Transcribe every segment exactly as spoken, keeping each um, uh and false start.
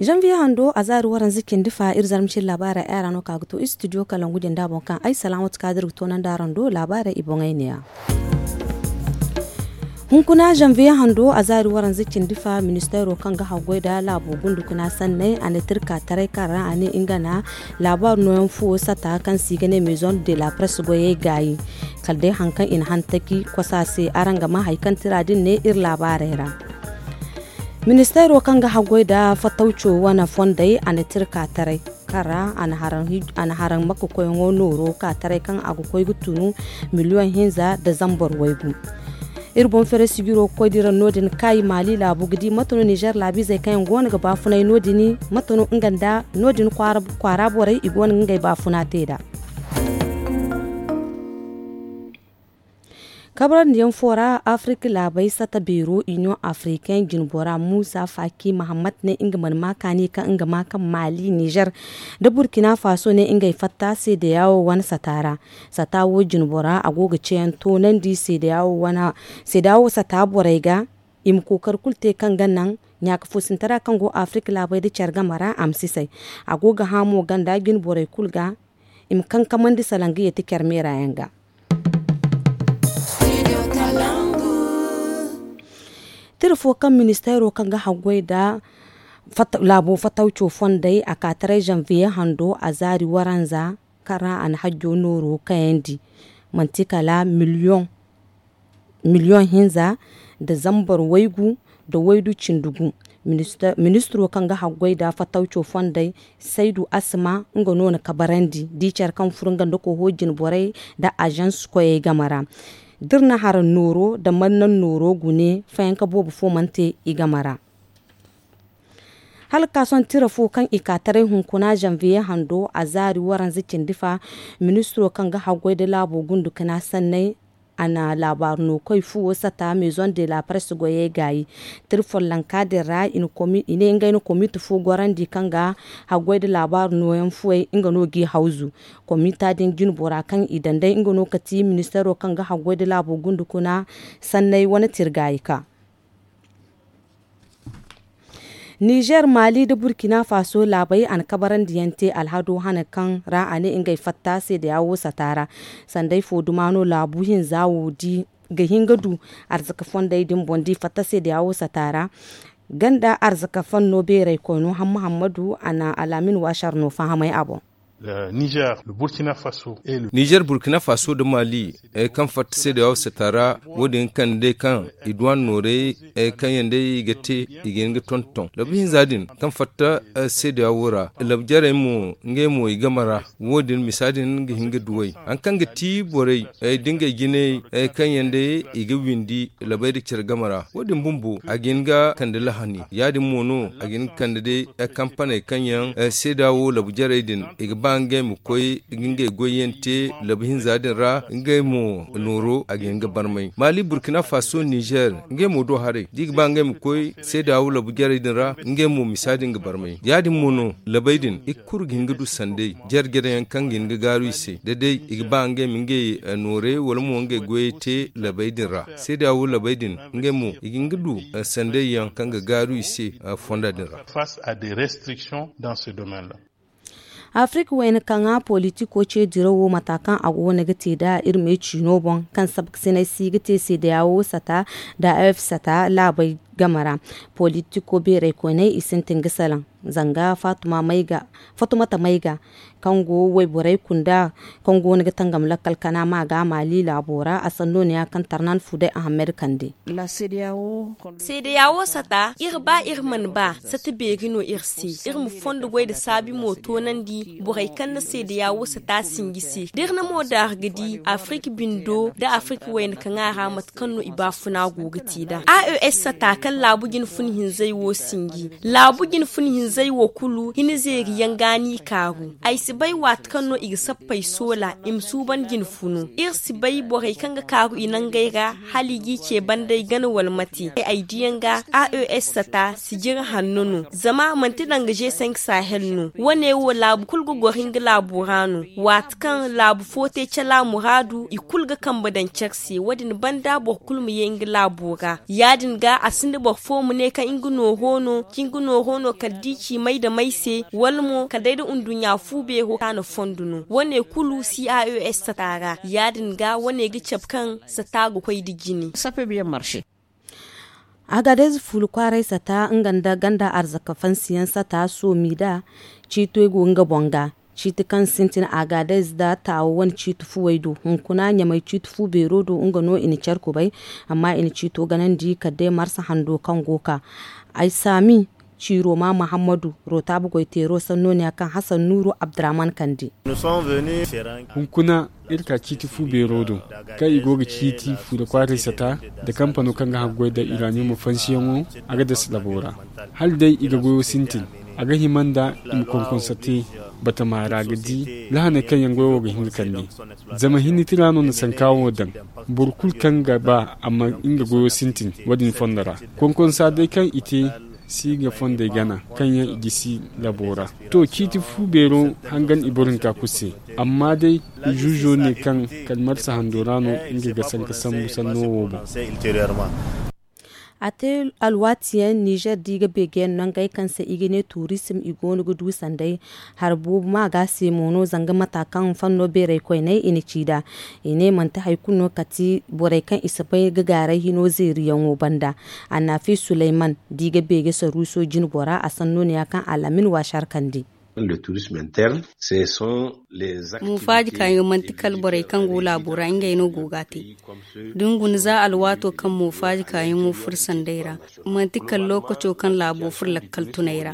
Zanviye hando a zaari waranza cindi fa iri zarma cindi laabaarey ay ra no ka ga to istidiyo kalangu jinda boŋ kaŋ ay salaamatu kaadir ga toonandi araŋ do laabaarey i boŋey ne-ya. Hunkuna zanviye hando a zaari waranza cindi fa ministeero kaŋ ga haggoy nda laabo gundukuna sanney a na tirka taray kaŋ ra a ne nga na laabaaru nooyaŋ fuwo sata kaŋ se i ga ne maison de la presse goyey gaayi. Kala day hari kaŋ i na hantaki kosa se araŋ ga maa hari kaŋ tira din ne iri laabaarey ra. Ministeero kaŋ ga haggoy nda fatawco wane fondey a na tirka taray kaŋ ra a na haraŋ makka koyyaŋo nooro ka taray kaŋ a ga koy ga tunu miliyoŋ hinza nda zambar waygu. Iri boŋ fere sijiro ga koy diraŋ no- din kaayi maali laabu ga di mate no nizer laabiizey kaŋ yaŋ go no ga baafunay no- din mate no nga nda no- din kwaara borey i go no ga ngey baafuna te nd'a. Kabrandi yaŋ fo ra afirika laabey sata beero iniyoŋ afirikaŋ jinbora muusa faaki mahammad ne nga mana ma kaani kaŋ nga ma kaŋ maali nizer nda burkina faso ne ngey fatta seedeyawo wane sata ra. Sata wo jinbora a go ga ceeyaŋ toonandi seedeyawo sata borey ga i ma kookari kulu te kaŋ ga naŋ ɲaaka foosintara kaŋ go afirika laabey nda care game ra a ma sisay. A go ga hã mo ganda jinborey kulu ga i ma kankamandi salaŋ ga yeeti care meera yaŋ ga. Tira fo kaŋ ministeero kaŋ ga haggoy nda laabo fatawco fondey a ka taray zanviye hando a zaari waranza kaŋ ra a na hajjo nooro kayandi manti kala miliyoŋ hinza nda zambar waygu nda waydu cindi gu. Ministiro kaŋ ga haggoy nda fatawco fondey saydu asma nga no na kabarandi di care kaŋ furo nga nda koho jinborey nda azans koyey game ra. Da iri na haraŋ nooro nda mannaŋ nooro gune fayanka boobo fo mana te i game ra. Hala ga ka sohõ tira fo kaŋ i ka taray hunkuna zanviye hando a zaari waranza cindi fa ministiro kaŋ ga haggoy nda laabo gundukuna sanney a na laabaaru no koy fuwo sata maison de la presse goyey gaayi. Tira follonka din ra i ne ngey na komite fo gorandi kaŋ ga haggoy nda laabaaru nooyaŋ fuwey nga no g'i hawzu. Komita din jinbora kaŋ i daŋ day nga no ka ti ministeero kaŋ ga haggoy nda laabo gundukuna sanney wane tira gaayi ka nizer maali nda burkina faso laabey a na kabarandiyaŋ te alhado hane kaŋ ra a ne ngey fatta seedeya wo sata ra. Sanday fo duma no laabu hinza wo di ga hin ga du arzaka fondey din boŋ da i fatta seedeya wo sata ra. Ganda arzaka fanno beerey koyno hamma hammadu a na alaamin waasar no fahamay a boŋ. Nizer burkina faso nda mali kaŋ fatta seedeya wo sata ra wo- din ga kande day kaŋ i duwan noorey kaŋ yaŋ day i ga te i ga hin ga tonton labu hinza din kaŋ fatta seedeya wo ra labu jarey mo ngey mo i game ra. Wo- din misa din ga hin ga duwey hari kaŋ ga ti borey da ngey jinay kaŋ yaŋ day i ga windi labey nda care game ra wo- din bumbo a ga hin ga kande lahani ya- din mo no a ga hin ga kande day kampaney kaŋ yaŋ seeda wo labu jarey din i ga ba ngey ma koy ga ngey goyyaŋ te labu hinza din ra ngey mo nooro a ga hin ga barmay mali burkina faso nizer ngey mo do haray da i ga ba ngey ma koy seeda wo labu jarey din ra ngey mo misa din ga barmay ya- din mo no labey din i ga kuru ga hin ga du sanday jare jare yaŋ kaŋ ga hin ga gaaru i se da day i ga ba ngey ma ngey noorey wala mo ngey goyey te labey din ra seeda wo labey din ngey mo i ga hin ga du sanday yaŋ kaŋ ga gaaru i se fonda din ra. Afirika wayna kaŋa politiko ce diraw wo mata kaŋ a go no ga te nda iri me ciino boŋ kaŋ sabkasinay si ga te seedeya wo sata nda a f sata laabey game ra. Politiko beerey koyney i sintin ga salaŋ zanga fatumata mayga kaŋ go wayborey kunda kaŋ go no ga tangam lakkal kana ma ga maali laabo ra a sanno no ya kaŋ tarnan fuday ahammed kande. Seedeya wo sata iri ba iri mana ba sata beeri no iri se iri ma fondo goy nda saabi mo toonandi borey kaŋ na seedeya wo sata sinji se da iri na mo daari ga di afirika bindo nda afirika wayna kaŋ a ra mate kaŋ no i baafuna go ga te nd'a a o s sata kaŋ laabu jine funa hinzey wo sinji laabu jine funa hinzey wo kulu hina zeeri yaŋ ga no i kaaru ay si bay waati kaŋ no i ga sappey soola i ma suuban jine funu iri si bay borey kaŋ ga kaaru i nangey ra hala i g'i ce banda ay gana wala mate ay diyaŋ ga a o s sata sijiri hanno no zama manti danga g cinq sahel no wane wo laabu kulu ga goro nga laabo ra no waati kaŋ laabu fo te cala muraadu i kulu ga kambe daŋ care se wo- din banda boro kulu ma ye nga laabo ra ya- din ga a sinda boro fo ma ne kaŋ nga nooro no ka nga nooro no kala da i Ci may da may se wala mo kala day da nduɲɲa fu beero kaŋ a na fondo no wane kulu caes sata ra ya- din ga wane ga cabe kaŋ sata ga koy nda jine. Sape biyaŋ marse. Agadez fuula kwaaray sata nga nda ganda arzaka fansiyaŋ sata soomi da ciito go nga boŋ ga. Ciiti kaŋ sintin agadez nda taawo wane ciiti fuwey do hunkuna ɲamay ciiti fu beero do nga no i na care kubay. Amma i na ciito ganandi kala day marsa hando kaŋ go ga ka ay saami ciiro ma muhammadu rootaabu goy teero sannooniya kaŋ hasan nuuru abdurrahman kande. Hunkuna iri ka ciiti fu beero do kaŋ i go ga ciiti fuula kwaaray sata nda kampano kaŋ ga haggoy nda iraniyum fansiyaŋo a ga dasa labo ra. Hala day i ga goyo sintin a ga hima nda i ma konkonsa te batama ra ga di lahaney kaŋ yaŋ goyo wo ga hin ga kande. Zama hinni tira no na sanka wo daŋ boro kulu kaŋ ga ba a ma nga goyo sintin wo- din fondo ra. Konkonsa day kaŋ i te si ga fondey gana kaŋ yaŋ i gisi labo ra. To ciiti fu beero hangan i boro hinka kulu se. Amma day zuuzo ne kaŋ kala marsa hando ra no nga ga sanka sambu sanno wo boŋ. A te alwaati yaŋ nizer da i ga beegeyaŋ nangey kaŋ se i ga ne tuurisim i go no ga du sanday. Hari boobo ma ga se mo no zanga mata kaŋ fanno beeray koyney i na ci nd'a. I ne manti hari kulu no kala ti borey kaŋ i si bay ga gaaray hino zeeriyaŋo banda. Annafi suleyman da i ga beege saruuso jine bora a sanno ne ya kaŋ alamin waasi harkandi. Muufaaji kaayaŋo manti kala borey kaŋ go laabo ra ngey no go ga a te. Da ni guna za alwaato kaŋ muufaaji kaayaŋo furo sanday ra manti kala lookaco kaŋ laabo furo lakkal tunay ra.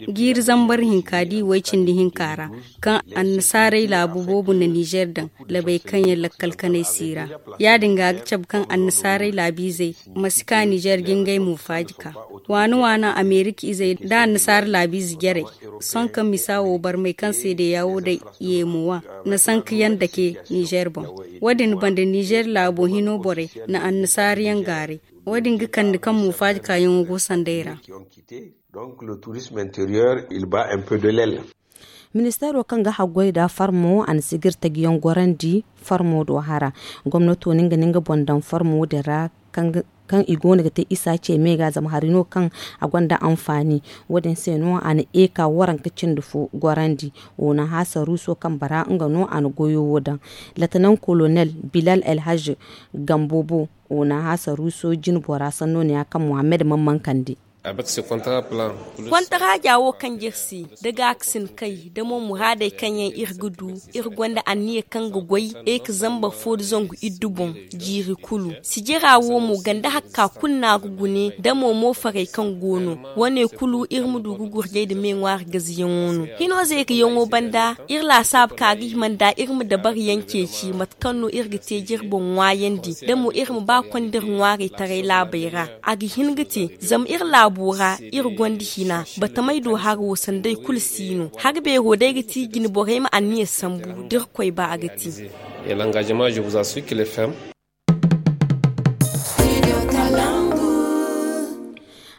Jiiri zambar hinka da i way cindi hinka ra kaŋ annasaarey laabu boobo na nizer daŋ labey kaŋ yaŋ lakkal kanay si ra. Ya- din ga a ga cabe kaŋ annasaarey laabiizey ma si ka nizer ga ngey muufaaji ka waana waana amerika izey nda annasaara laabiize jarey. Sohõ kaŋ misa wo barmey kaŋ seedeya wo day yeemo wa na sanka yaŋ dake nizer boŋ. Wo- din banda nizer laabo hino borey na annasaara yaŋ gaaray. Wo- din ga kande kaŋ muufaaji kaayaŋo go sanday ra. Ministeero kaŋ ga haggoy nda farmo a na sigir taji yaŋ gorandi farmo do hara. Gomnato no nga na nga boŋ daŋ farmo din ra kaŋ i go no ga te isa ce me ga zama hari no kaŋ a gonda anfaani. Wo- din se no a na eka waranka cindi fo gorandi. Wo na hasa ruuso kaŋ bara nga no a na goyo wo daŋ. Latanan kolonel bilal elhaj gambo bo wo na hasa ruuso jine bora sanno ne ya kaŋ muhammad mamman kande. Kontaraaja wo kaŋ jere se da gaakasin kay da mo muraadey kaŋ yaŋ iri ga du, iri gonda anniya kaŋ ga goy ey ka zambar fo da zangu iddu boŋ. Jiiri kulu sijira wo mo ganda hakka kulu no a ga gune da mo moofarey kaŋ go no. Wane kulu iri ma du ga gurjay nda me ŋwaari gaziyaŋo no hino zeeriyaŋo banda. Iri laasaabu ka ga hima nda iri ma dabariyaŋ ceeci mate kaŋ no iri ga te jire boŋ ŋwaayandi da mo iri ma ba konda iri ŋwaarey taray laabey ra. A ga hin ga te zama iri laabo ra iri gonda hina batamey do haro sanday kulu si no. Hari beero day ga ti jine borey ma anniya sambu da irkoy ba a ga ti.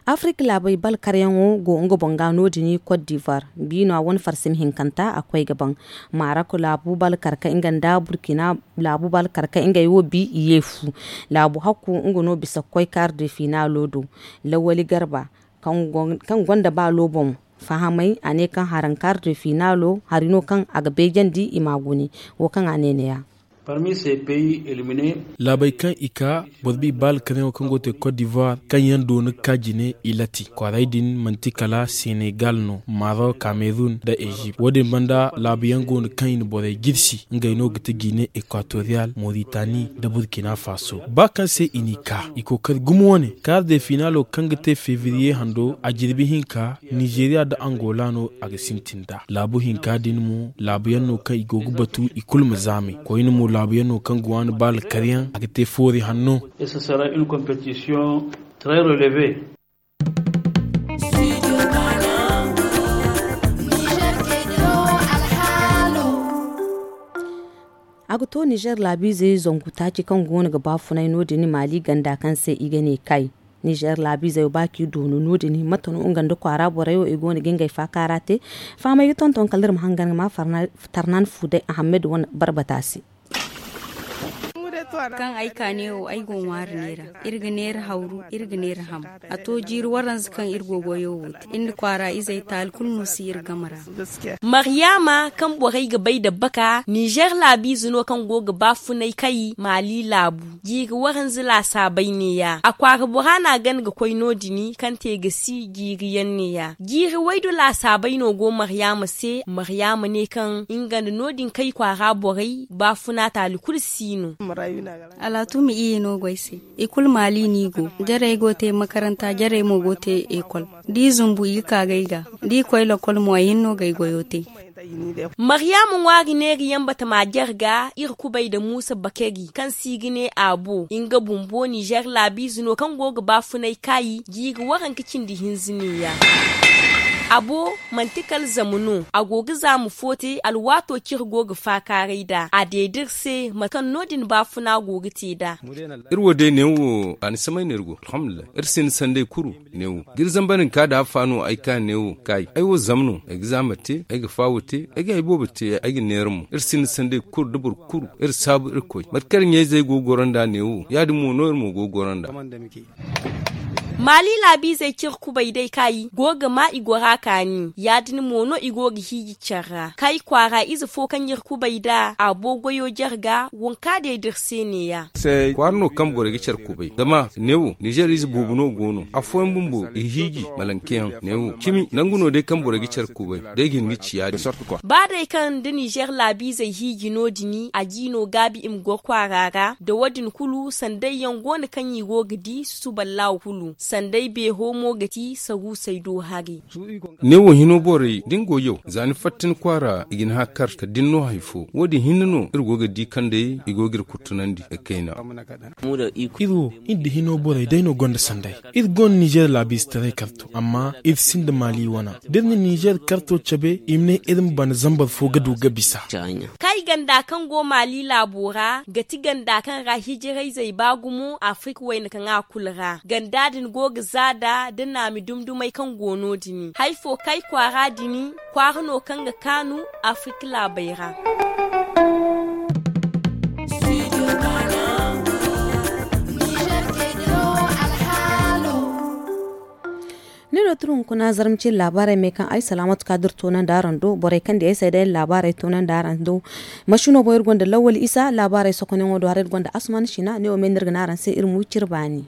Afirka laabey balkaryaŋo go nga boŋ ga no- din kot divoire biino a wane farsimi hinkanta a koy ga baŋ. Marok laabu balkar ka nga nda burkina laabu balkar ka ngey wo bi i ye fu. Laabu hakku nga no bisa ga koy kaari de finalo do. Lawali garba kaŋ gonda baalo boŋ fahamay a ne kaŋ haraŋ kaari de finalo hari no kaŋ a ga beejandi i ma a gune. Wo kaŋ a ne ne ya. Laabey kaŋ i ka boro bi baala kanayaŋo kaŋ go ga te kot divoire kaŋ yaŋ doona ga ka jine i lati kwaaray din manti kala senegal no marok kamerun nda ezipt wo- din banda laabu yaŋ go no kaŋ i na borey jirsi ngey no ga ti gine ekwatoriyal moritani nda burkina faso ba kaŋ se i n'i ka i kookari gumo wane kaara de finalo kaŋ ga te fevriye hando a jirbi hinka nizeriya nda angola no a ga sintin nd'a laabu hinka din mo laabu yaŋ no kaŋ i go ga batu i kulu ma zaamay koyne mo laabu yaŋ no kaŋ ga waani baala karyaŋ a ga te foori hanno. A ga to nizer laabiizey zangu taaci kaŋ go no ga baafunay no- din maali ganda kaŋ se i ga ne kay. Nizer laabiizey ba kaŋ i doonu no- din mate no nga nda kwaara borey wo i go no ga ngey faakaara te. Fahamey ga tonton kala iri ma hangan ga ma tarnan fu day ahammed wane barbata se. Kaŋ ay ka neewo ay go ŋwaari neera. Iri ga neera hawru, iri ga neera ham. A to jiiri waranza kaŋ iri go goyo wo te iri nda kwaara izey taali kulu no si iri game ra. Maryaama kaŋ borey ga bay dabbaka nizer laabiize no kaŋ go ga baafunay kay maali laabu. Jiiri waranza laasaabay neeya a kwaara bora no a gana ga koy no- din kaŋ te ga si jiiri yaŋ neeya jiiri waydu laasaabay no go maryaama se maryaama ne kaŋ nga nda no- din kay kwaara borey baafuna taali kulu si no. Alaatuma iyye no go ay se. I kulu maali no i go jarey go te makaranta jarey mo go te ekol. Da i zumbu i ga ka ga ay ga da i koy lakol mo ay hinne no ga ay goyo te. Maryaama ŋwaari neeri yaŋ batama jare ga iri kubay nda muusa bakari kaŋ se i ga ne aabo nga bumbo nizer laabiize no kaŋ go ga baafunay kaayi jiiri waranka cindi hinza neeya. Abo manti kala zama no a go ga zaama fo te alwaato kaŋ iri go ga faakaaray nd'a a deeda iri se mate kaŋ no- din baafuna go ga te nd'a. Iri wo day neewo a ni samay no iri go alhamdulillahi iri sinda sanday kuru. Neewo da iri zamba din ka da affa no ay ka neewo kaayi ay wo zama no ay ga zaama te ay ga faawo te ay ga hay boobo te ay ga neera mo iri sinda sanday kuru da boro kuru iri saabu iri koy mate kaŋ iri ɲayzey go ga goro nd'a neewo ya- din mo no iri mo go ga goro nd'a. Maali laabiizey kaŋ iri kubay day kaayi go ga ma i gora kaani ya- din mo no i go ga hiiji care ra kaayi kwaara ize fo kaŋ iri kubay nd'a a boo goyo jare ga waŋ kaŋ a deeda iri se neeya. Kwaara no kaŋ borey ga care kubay zama neewo nizer ize boobo no go no afooyaŋ bumbo i hiiji malankeyaŋ neewo cimi nangu no day kaŋ borey ga care kubay day ga hin ga ci ya-din. Ba day kaŋ da nizer laabiizey hiiji no- din a ji no gaabi i ma goro kwaara ra nda wo- din kulu sanday yaŋ go no kaŋ i go ga di susuballahu kulu sanday beeho mo ga ti saruusey do hari. Ne wo hino borey da ni go yaw za ni fatta ni kwaara i ga ni hakkar kala da ni no hari fo wo- din hinne no iri go ga di kaŋ day i go ga iri kurtunandi ga kayna. Iri wo iri nda hino borey day no gonda sanday. Iri gonda nizer laabiize taray karto amma iri sinda maali wana da iri na nizer karto cabe i ma ne iri ma bana zambar fo ga du ga bisa. Kay ganda kaŋ go maali laabo ra ga ti ganda kaŋ ra hijirayzey ba gumo afirika wayna kaŋ a kulu ra ganda din go ga zaada da naami dumdumey kaŋ go no- din hari fo kay kwaara din kwaara no kaŋ ga kaanu afirika laabey ra. Ni do turu hunkuna zarma cine laabaarey me kaŋ ay salaamatu ka dira toonandi araŋ do borey kaŋ di ay se day laabaarey toonandi araŋ do. Masino boŋ iri gonda lawwal isa laabaarey sokonayaŋo do hara iri gonda asuman sina ne wo me no iri ga ne araŋ se iri ma wi cire baani.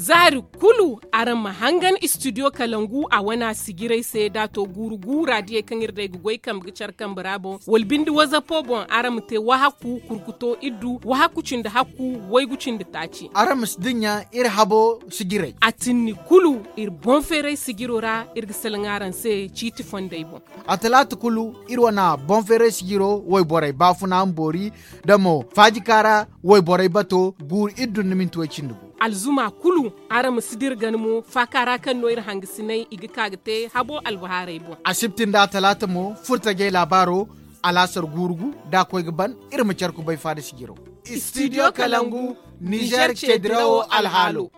Zaari kulu araŋ ma hangan istidiyo kalangu a wane a sijirey se da a to guuru guura diyey kaŋ iri day ga goy kambe ga care kambe ra boŋ wala binde wazapo boŋ araŋ ma te wahakku kurkuto iddu wahakku cindi hakku waygu cindi taaci. Araŋ ma si dinya iri habo sijirey a tinni kulu iri boŋ feeray sijiro ra iri ga salaŋ araŋ se ciiti fondey boŋ. A talaata kulu iri wane boŋ feeray sijiro wayborey baafuna ma boori da mo faajika ra wayborey bato guuru iddu nda minti way cindi gu. Alzuma kulu araŋ ma si dira gana mo faaka ra kaŋ no iri hangasiney i ga ka ga te habo albahaarey boŋ. Asibti nda a talaata mo furtajey laabaaro alaasar guuru gu da a koy ga ban iri ma care kubay faada sijiro. Istidiyo kalangu nizer ce dirawo alhaalo.